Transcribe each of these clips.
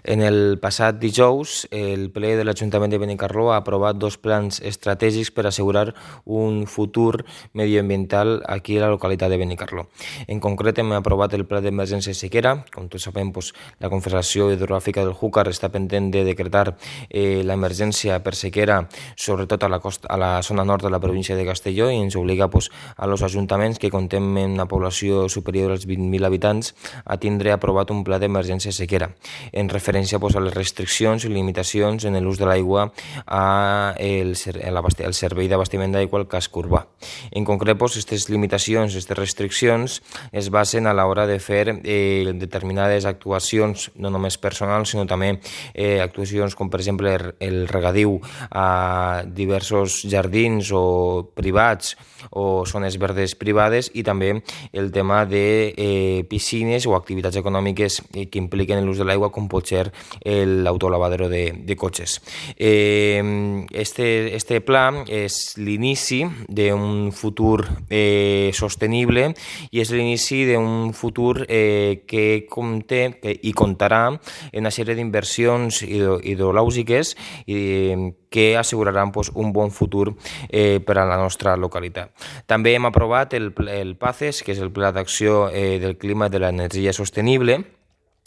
En el passat dijous, el ple de l'Ajuntament de Benicarló ha aprovat 2 plans estratègics per assegurar un futur medioambiental aquí a la localitat de Benicarló. En concret, hem aprovat el pla d'emergència sequera. Com tots sabem, la Confederació Hidrogràfica del Júcar està pendent de decretar l'emergència per sequera, sobretot a la zona nord de la província de Castelló, i ens obliga a los ajuntaments que comptem amb una població superior als 20.000 habitants a tindre aprovat un pla d'emergència sequera, en referència a les restriccions i limitacions en l'ús de l'aigua al servei d'abastiment d'aigua al casc urbà. En concret, aquestes limitacions, aquestes restriccions es basen a l'hora de fer determinades actuacions, no només personals, sinó també actuacions com, per exemple, el regadiu a diversos jardins o privats o zones verdes privades, i també el tema de piscines o activitats econòmiques que impliquen l'ús de l'aigua, com pot ser l'autolavadero de cotxes. Este pla és l'inici d'un futur sostenible i és l'inici d'un futur que conté i comptarà en una sèrie d'inversions hidrològiques que asseguraran un bon futur per a la nostra localitat. També hem aprovat el PACES, que és el Pla d'Acció del Clima i de l'Energia Sostenible.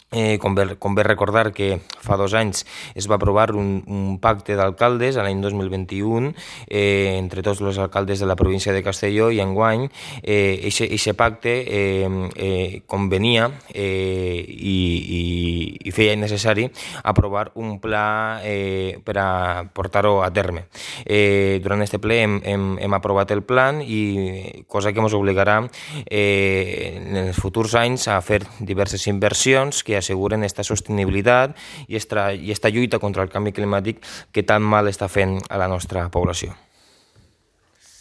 Convé recordar que fa 2 anys es va aprovar un pacte d'alcaldes a l'any 2021 entre tots els alcaldes de la província de Castelló, i enguany aquest pacte convenia i feia necessari aprovar un pla per a portar-ho a terme. Durant aquest ple hem aprovat el plan, i cosa que ens obligarà en els futurs anys a fer diverses inversions que asseguren aquesta sostenibilitat i esta lluita contra el canvi climàtic que tan mal està fent a la nostra població.